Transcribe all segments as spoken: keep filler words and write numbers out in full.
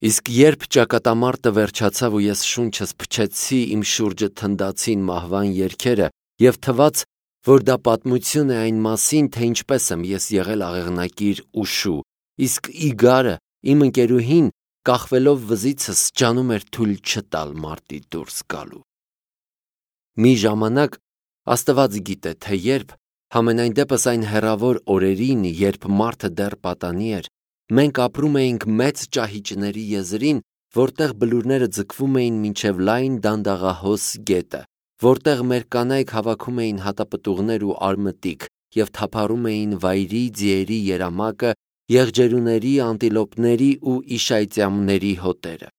Իսկ երբ ճակատամարտը վերջացավ ու ես շունչս փչեցի, իմ շուրջը թնդացին մահվան երգերը և թվաց, որ դա պատմություն է այն մասին, թե ինչպես եմ ես եղել աղեղնակիր ու շու, իսկ Իգարը, իմ ընկերուհին, կախվելով վզիցս, ջանում էր թույլ չտալ մարտի դուրս գալու։ Մի ժամանակ, Աստված գիտե, թե երբ, համենայն դեպս այն հեռավոր օրերին, երբ մարդը դեռ պատանի էր, մենք ապրում էինք մեծ ճահիճների եզրին, որտեղ բլուրները ձգվում էին մինչև լայն դանդաղահոս գետը, որտեղ մեր կանայք հավաքում էին հատապտուղներ ու արմտիկ և թափառում էին վայրի ձիերի երամակը, եղջերուների, անտիլոպների ու իշայծյամների հոտերը։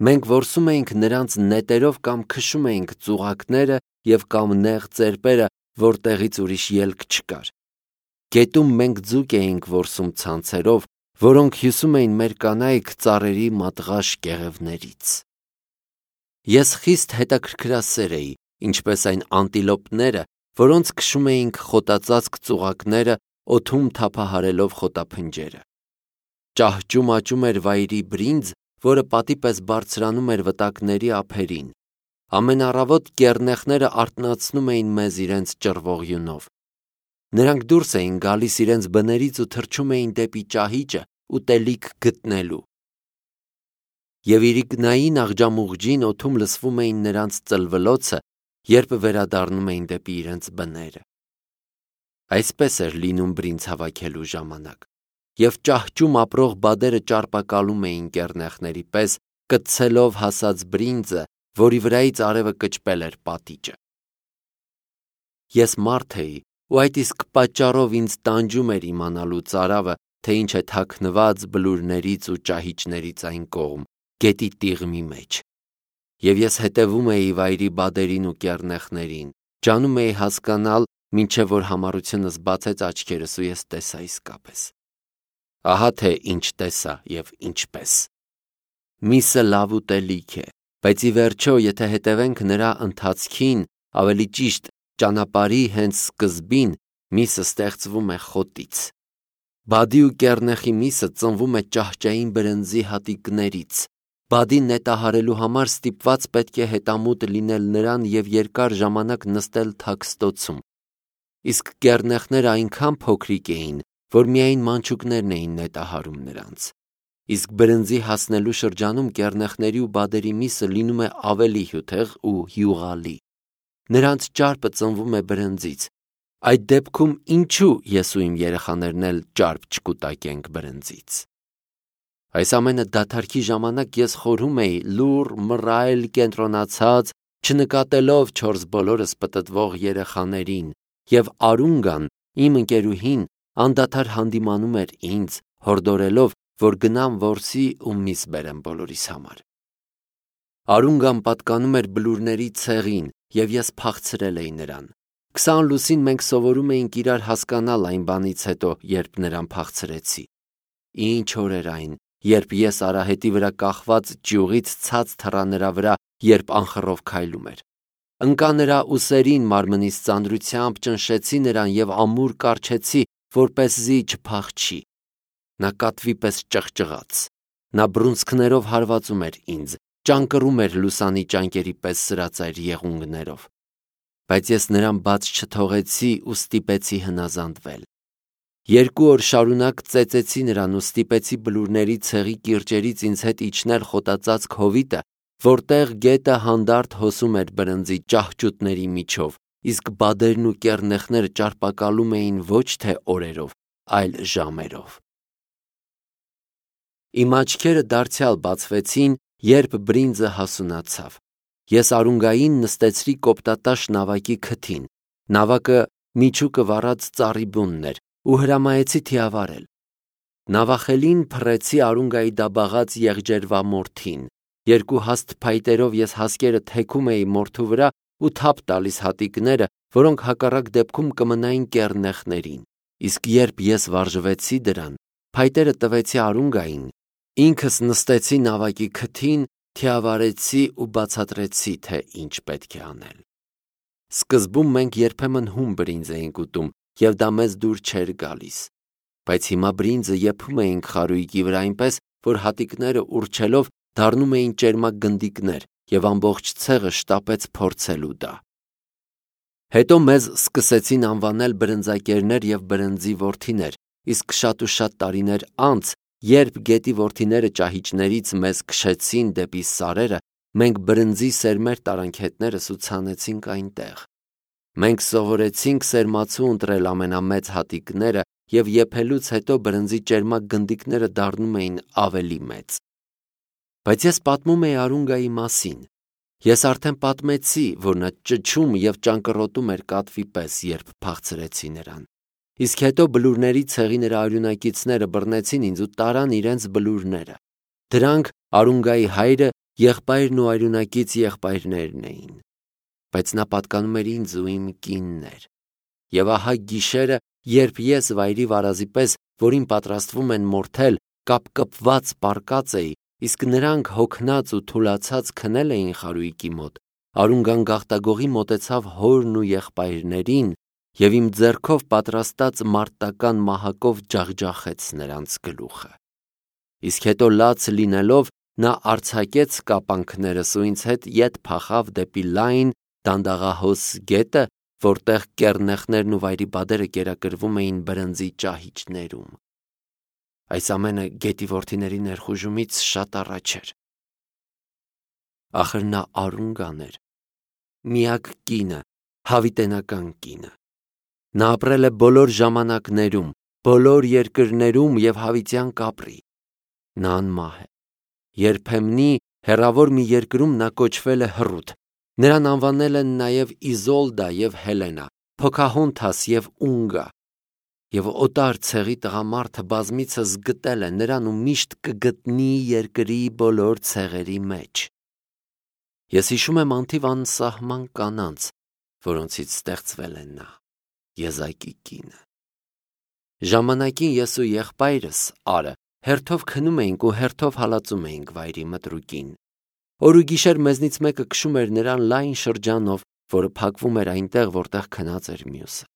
Մենք որսում էինք նրանց նետերով կամ քշում էինք ծուղակները և կամ նեղ ծերպերը, որտեղից ուրիշ ելք չկար։ Գետում մենք ձուկ էինք որսում ցանցերով, որոնք հյուսում էին մեր կանայք ծառերի մատղաշ կեղևներից։ Ես խիստ հետաքրքրասեր էի, ինչպես այն անտիլոպները, որոնց քշում էինք խոտածածկ ծուղակները, օդում թափահարելով խոտափնջերը։ Ճահճում աճում էր վայրի բրինձ, որը պատի պես բարձրանում էր վտակների ափերին։ Ամեն առավոտ կեռնեխները արթնացնում էին մեզ իրենց ճռվողյունով։ Նրանք դուրս էին գալիս իրենց բներից ու թռչում էին դեպի ճահիճը ուտելիք գտնելու։ Եվ իրիկնային աղջամուղջին օդում լսվում էին նրանց ծլվլոցը, երբ վերադառնում էին դեպի իրենց բները։ Այսպես էր լինում բրինձ հավաքելու ժամանակ, և ճահճում ապրող բադերը ճարպակալում էին կեռնեխների պես, կծցելով հասած բրինձը, որի վրայից արևը կճպել էր պատիճը։ Ես մարդ էի, ու այդ իսկ պատճառով ինձ տանջում էր իմանալու ծարավը, թե ինչ է թաքնված բլուրներից ու ճահիճներից այն կողմ, գետի տիղմի մեջ։ Եվ ես հետևում էի վայրի բադերին ու կեռնեխներին, ջանում էի հասկանալ, մինչև որ համառությունս բացեց աչքերս ու ես տեսա իսկապես։ Ահա թե ինչ տեսա և ինչպես։ Միսը լավ ուտելիք է, բայց ի վերջո, եթե հետևենք նրա ընթացքին, ավելի ճիշտ ճանապարհի հենց սկզբին, միսը ստեղծվում է խոտից։ Բադի ու կեռնեխի միսը ծնվում է ճահճային բրնձի հատիկներից։ Բադին նետահարելու համար ստիպված պետք է հետամուտ լինել նրան և երկար ժամանակ նստել թաքստոցում։ Իսկ կեռնեխները այնքան փոքրիկ էին, որ միայն մանչուկներն էին նետահարում նրանց։ Իսկ բրնձի հասնելու շրջանում կեռնեխների ու բադերի միսը լինում է ավելի հյութեղ ու յուղալի։ Նրանց ճարպը ծնվում է բրնձից։ Այդ դեպքում ինչու ես ու իմ երեխաներն էլ ճարպ չկուտակենք բրնձից։ Այս ամենը դադարքի ժամանակ ես խորհում էի լուռ, մռայլ, կենտրոնացած, չնկատելով չորս բոլորս պտտվող երեխաներին, և Արունգան, իմ ընկերուհին, անդադար հանդիմանում էր ինձ, հորդորելով, որ գնամ որսի ու միս բերեմ բոլորիս համար։ Արունգան պատկանում էր բլուրների ցեղին, և ես փախցրել էի նրան։ Քսան լուսին մենք սովորում էինք իրար հասկանալ այն բանից հետո, երբ նրան փախցրեցի։ Ինչ օր էր այն, երբ ես արահետի վրա կախված ճյուղից ցած թռա նրա վրա, երբ անխռով քայլում էր։ Ընկա նրա ուսերին մարմնիս ծանրությամբ, ճնշեցի նրան և ամուր կառչեցի, որպեսզի չփախչի։ Նա կատվի պես ճղճղաց։ Նա բռունցքներով հարվածում էր ինձ, ճանկռում էր լուսանի ճանկերի պես սրածայր եղունգներով։ Բայց ես նրան բաց չթողեցի ու ստիպեցի հնազանդվել։ Երկու օր շարունակ ծեծեցի նրան ու ստիպեցի բլուրների ցեղի կիրճերից ինձ հետ իջնել խոտածածկ հովիտը, որտեղ գետը հանդարտ հոսում էր բրնձի ճահճուտների միջով, իսկ բադերն ու կեռնեխները ճարպակալում էին ոչ թե օրերով, այլ ժամերով։ Իմ աչքերը դարձյալ բացվեցին, երբ բրինձը հասունացավ։ Ես Արունգային նստեցրի կոպտատաշ նավակի քթին։ Նավակը միջուկը վառած ծառի բունն էր ու հրամայեցի թիավարել։ Նավախելին փռեցի Արունգայի դաբաղած եղջերվամորթին։ Երկու հաստ փայտերով ես հասկերը թեքում էի մորթու վրա ու թափ տալիս հատիկները, որոնք հակառակ դեպքում կմնային կեռնեխներին։ Իսկ երբ ես վարժվեցի դրան, փայտերը տվեցի Արունգային, ինքս նստեցի նավակի քթին, թիավարեցի ու բացատրեցի, թե ինչ պետք է անել։ Սկզբում մենք երբեմն հում բրինձ էինք ուտում, և դա մեզ դուր չէր գալիս։ Բայց հիմա բրինձը եփում էինք խարույկի վրա այնպես, որ հատիկները ուռչելով դառնում էին ճերմակ գնդիկներ, եւ ամբողջ ցեղը շտապեց փորձելու դա։ Հետո մեզ սկսեցին անվանել բրնձակերներ եւ բրնձի որդիներ, իսկ շատ ու շատ տարիներ անց, երբ գետի որդիները ճահիճներից մեզ քշեցին դեպի սարերը, մենք բրնձի սերմեր տարանքետներս ու ցանեցինք այնտեղ։ Մենք սովորեցինք սերմացու ընտրել ամենամեծ հատիկները, եւ եփելուց հետո բրնձի ճերմակ գնդիկները դառնում էին ավելի մեծ։ Բայց ես պատմում էի Արունգայի մասին։ Ես արդեն պատմեցի, որ նա ճչում եւ ճանկռոտում էր կատվի պես, երբ փախցրեցի նրան։ Իսկ հետո բլուրների ցեղի նրա արյունակիցները բռնեցին ինձ ու տարան իրենց բլուրները։ Դրանք Արունգայի հայրը, եղբայրն ու արյունակից եղբայրներն էին։ Բայց նա պատկանում էր ինձ ու իմ կինն էր։ Եվ ահա գիշերը, երբ ես վայրի վարազի պես, որին պատրաստվում են մորթել, կապկպված պառկած էի, իսկ նրանք հոգնած ու թուլացած քնել էին խարույկի մոտ, Արունգան գաղտագողի մոտեցավ հորն ու եղբայրներին եւ իմ ձեռքով պատրաստած մարտական մահակով ջախջախեց նրանց գլուխը։ Իսկ հետո լաց լինելով նա արձակեց կապանքներս ու ինձ հետ ետ փախավ դեպի լայն դանդաղահոս գետը, որտեղ կեռնեխներն ու վայրի բադերը կերակրվում էին բրնձի ճահիճներում։ Այս ամենը գետի որդիների ներխուժումից շատ առաջ էր։ Ախր նա Արունգան էր, միակ կինը, հավիտենական կինը։ Նա ապրել է բոլոր ժամանակներում, բոլոր երկրներում եւ հավիտյան կապրի։ Նա անմահ է։ Երբեմնի հեռավոր մի երկրում նա կոչվել է Հռութ։ Նրան անվանել են նաև Իզոլդա եւ Հելենա, Փոքահոնթաս եւ Ունգա։ Եվ օտար ցեղի տղամարդը բազմիցս գտել է նրան ու միշտ կգտնի երկրի բոլոր ցեղերի մեջ։ Ես հիշում եմ անթիվ անսահման կանանց, որոնցից ստեղծվել է նա, եզակի կինը։ Ժամանակին ես ու եղբայրս Արը հերթով քնում էինք ու հերթով հալածում էինք վայրի մտրուկին։ Օր ու գիշեր մեզնից մեկը քշում էր նրան լայն շրջանով, որը փակվում էր այնտեղ, որտեղ քնած էր մյուսը։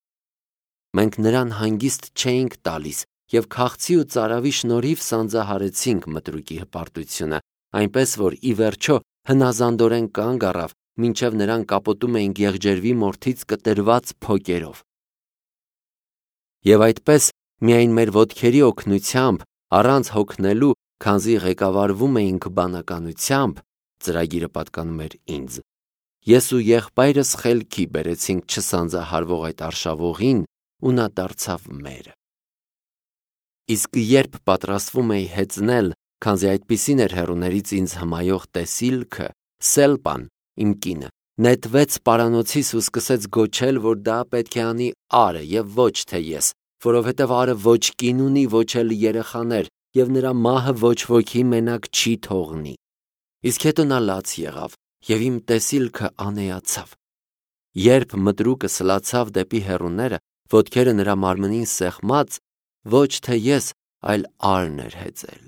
Մենք նրան հանգիստ չէինք տալիս եւ քաղցի ու ծարավի շնորհիվ սանձահարեցինք մտրուկի հպարտությունը, այնպես որ ի վերջո հնազանդորեն կանգ առավ, մինչև նրան կապոտում էինք եղջերվի մորթից կտրված փոկերով։ Եվ այդպես միայն մեր ոտքերի օգնությամբ, առանց հոգնելու, քանզի ղեկավարվում էինք բանականությամբ, ծրագիրը պատկանում էր ինձ, ես ու եղբայրս խելքի բերեցինք չսանձահարվող այդ արշավողին ու նա դարձավ մերը։ Իսկ երբ պատրաստվում էի հեծնել, քանզի այդպիսին էր հեռուներից ինձ հմայող տեսիլքը, Սելպան, իմ կինը, նետվեց պարանոցիս ու սկսեց գոչել, որ դա պետք է անի Արը եւ ոչ թե ես, որովհետեւ Արը ոչ կին ունի, ոչ էլ երեխաներ, եւ նրա մահը ոչ ոքի մենակ չի թողնի։ Իսկ հետո նա լաց եղավ եւ իմ տեսիլքը անեացավ։ Երբ մտրուկը սլացավ դեպի հեռուները, ոտքերը նրա մարմնին սեղմած, ոչ թե ես, այլ Արն էր հեծել։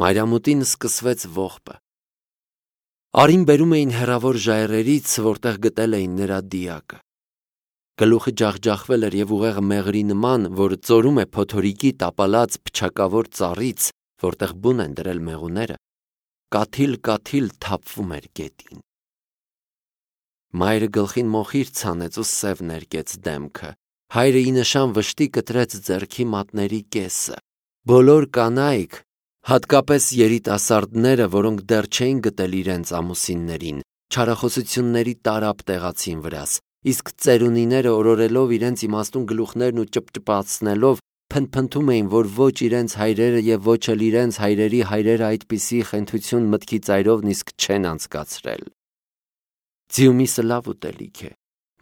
Մայրամուտին սկսվեց ողբը։ Արին բերում էին հեռավոր ժայռերից, որտեղ գտել էին նրա դիակը։ Գլուխը ջախջախվել էր եւ ուղեղը մեղրի նման, որ ծորում է փոթորիկի տապալած փչակավոր ծառից, որտեղ բուն են դրել մեղուները, կաթիլ-կաթիլ թափվում էր գետին։ Մայրը գլխին մոխիր ցանեց ու սև ներկեց դեմքը։ Հայրը ի նշան վշտի կտրեց ձեռքի մատների կեսը։ Բոլոր կանայք, հատկապես երիտասարդները, որոնք դեռ չէին գտել իրենց ամուսիններին, չարախոսությունների տարապ տեղացին վրաս, իսկ ծերունիները օրորելով իրենց իմաստուն գլուխներն ու ճպճպացնելով փնփնթում էին, որ ոչ իրենց հայրերը եւ ոչ էլ իրենց հայրերի հայրերը այդպիսի խենթություն մտքի ծայրով նիսկ չեն անցկացրել։ Ձիու միսը լավ ուտելիք է։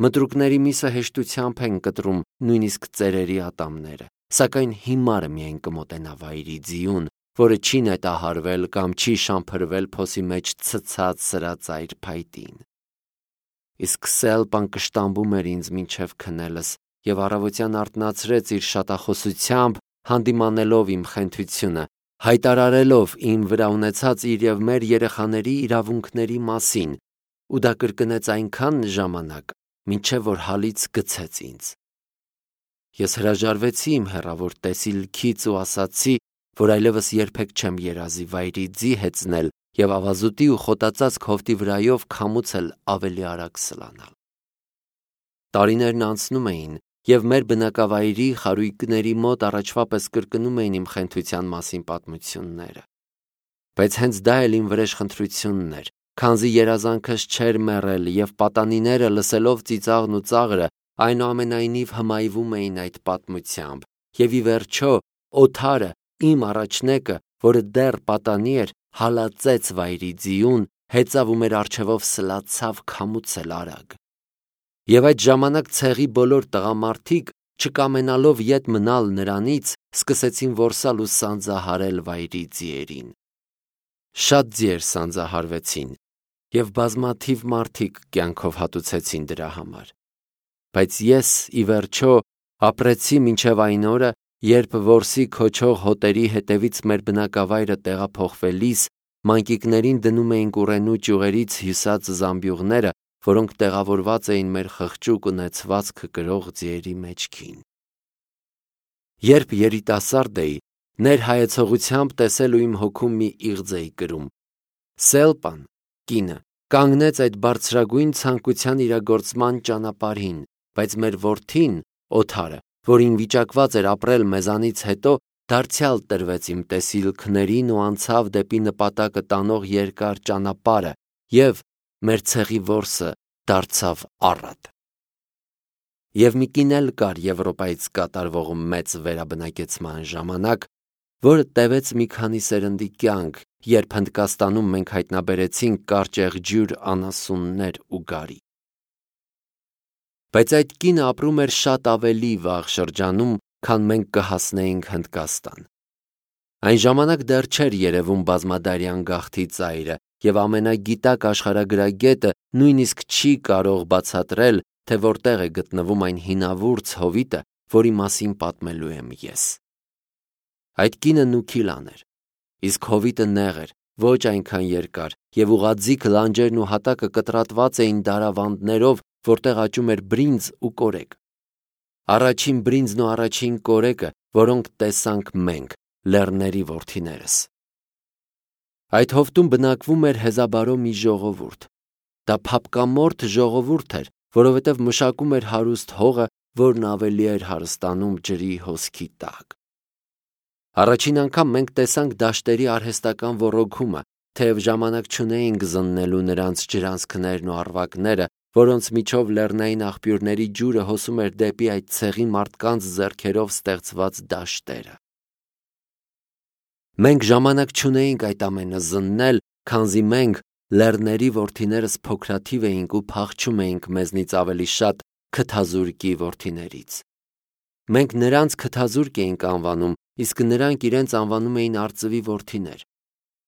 Մտրուկների միսը հեշտությամբ են կտրում նույնիսկ ծերերի ատամները, սակայն հիմարը միայն կմոտենա վայրի ձիուն, որը չի նետահարվել կամ չի շամփրվել փոսի մեջ ցցած սրածայր փայտին։ Իսկ Սելպան կշտամբում էր ինձ մինչև քնելս եւ առավոտյան արթնացրեց իր շատախոսությամբ, հանդիմանելով իմ խենթությունը, հայտարարելով իմ վրա ունեցած իր եւ մեր երեխաների իրավունքների մասին, ու դա կրկնեց այնքան ժամանակ, մինչև որ հալից գցեց ինձ։ Ես հրաժարվեցի իմ հեռավոր տեսիլքից ու ասացի, որ այլևս երբեք չեմ երազի վայրի ձի հեծնել եւ ավազուտի ու խոտածած քովտի վրայով քամուցել ավելի արագ սլանալ։ Տարիներն անցնում էին, եւ մեր բնակավայրի խարույկների մոտ առաջվա պես կրկնում էին իմ խենթության մասին պատմությունները։ Բայց հենց դա էլ իմ վրեժխնդրությունն էր, քանզի երազանքս չէր մեռել եւ պատանիները լսելով ծիծաղն ու ծաղրը այնուամենայնիվ հմայվում էին այդ պատմությամբ, եւ ի վերջո օթարը, իմ առաջնեկը, որը դեռ պատանի էր, հալածեց վայրի ձիուն, հեծավ ու մեր առջևով սլացավ քամուցել արագ։ Եվ այդ ժամանակ ցեղի բոլոր տղամարդիկ, չկամենալով ետ մնալ նրանից, սկսեցին որսալ ու սանձահարել վայրի ձիերին։ Շատ ձիեր սանձահարվեցին, եւ բազմաթիվ մարդիկ կյանքով հատուցեցին դրա համար։ Բայց ես, ի վերջո, ապրեցի մինչև այն օրը, երբ որսի քոչող հոտերի հետևից մեր բնակավայրը տեղափոխվելիս մանկիկներին դնում էին կուրենու ճյուղերից հյուսած զամբյուղները, որոնք տեղավորված էին մեր խղճուկ ունեցվածքը կրող ձիերի մեջքին։ Երբ երիտասարդ էի, ներհայեցողությամբ տեսել ու իմ հոգում մի իղձ էի կրում։ Սելպան, կինը, կանգնեց այդ բարձրագույն ցանկության իրագործման ճանապարհին, բայց մեր որդին, Օթարը, որին վիճակված էր ապրել մեզանից հետո, դարձյալ տրվեց իմ տեսիլքներին ու անցավ դեպի նպատակը տանող երկար ճանապարհը, եւ մեր ցեղի որսը դարձավ առատ։ Եվ մի կին էլ կար Եվրոպայից կատարվող մեծ վերաբնակեցման ժամանակ, որը տևեց մի քանի սերնդի կյանք, երբ Հնդկաստանում մենք հայտնաբերեցինք կարճեղջյուր անասուններ ու գարի։ Բայց այդ կինը ապրում էր շատ ավելի վաղ շրջանում, քան մենք կհասնեինք Հնդկաստան։ Այն ժամանակ դեռ չէր երևում բազմադարյան գաղթի ծայրը, եւ ամենագիտակ աշխարհագրագետը նույնիսկ չի կարող բացատրել, թե որտեղ է գտնվում այն հինավուրց հովիտը, որի մասին պատմելու եմ ես։ Այդ կինը Նուքիլան էր, իսկ հովիտը նեղ էր, ոչ այնքան երկար, եւ ուղղաձիգ լանջերն ու հատակը կտրատված էին դարավանդներով, որտեղ աճում էր բրինձ ու կորեկ։ Առաջին բրինձն ու առաջին կորեկը, որոնք տեսանք մենք, լեռների որդիներս։ Այդ հովտում բնակվում էր հեզաբարո մի ժողովուրդ։ Դա փափկամորթ ժողովուրդ էր, որովհետև մշակում էր հարուստ հողը, որն ավելի էր հարստանում ջրի հոսքի տակ։ Առաջին անգամ մենք տեսանք դաշտերի արհեստական ոռոգումը, թեև ժամանակ չունեինք զննելու նրանց ջրանցքներն ու առվակները, որոնց միջով լեռնային աղբյուրների ջուրը հոսում էր դեպի այդ ցեղի մարդկանց ձեռքերով ստեղծված դաշտերը։ Մենք ժամանակ չունեինք այդ ամենը զննել, քանզի մենք լեռների որդիներս փոքրաթիվ էինք ու փախչում էինք մեզնից ավելի շատ քթազուրկի որդիներից։ Մենք նրանց քթազուրկ էինք անվանում, իսկ նրանք իրենց անվանում էին արծվի որդիներ։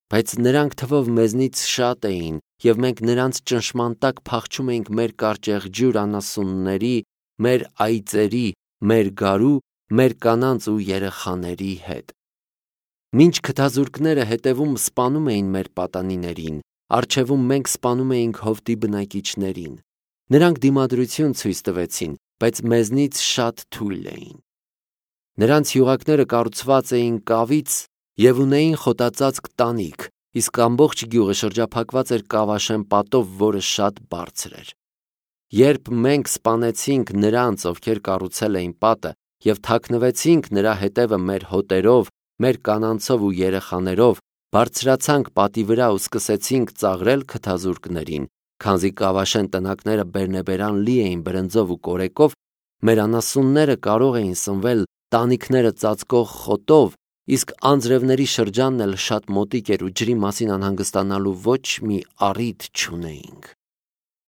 Բայց նրանք թվով մեզնից շատ էին, եւ մենք նրանց ճնշման տակ փախչում էինք մեր կարճեղջյուր անասունների, մեր այծերի, մեր գարու, մեր կանանց ու երեխաների հետ։ Մինչ քթազուրկները հետևում սպանում էին մեր պատանիներին, առջևում մենք սպանում էինք հովտի բնակիչներին։ Նրանք դիմադրություն ցույց տվեցին, բայց մեզնից շատ թույլ էին։ Նրանց յուղակները կառուցված էին կավից եւ ունեին խոտածածկ տանիք, իսկ ամբողջ գյուղը շրջափակված էր կավաշեն պատով, որը շատ բարձր էր։ Երբ մենք սպանեցինք նրանց, ովքեր կառուցել էին պատը, եւ թաքնվեցինք նրա հետևը մեր հոտերով, մեր կանանցով ու երեխաներով, բարձրացանք պատի վրա ու սկսեցինք ծաղրել քթազուրկներին, քանզի կավաշեն տնակները բերնեբերան լի էին բրնձով ու կորեկով, մեր անասունները կարող էին սնվել տանիքները ծածկող խոտով, իսկ անձրևների շրջանն էլ շատ մոտիկ էր ու ջրի մասին անհանգստանալու ոչ մի առիթ չունեինք։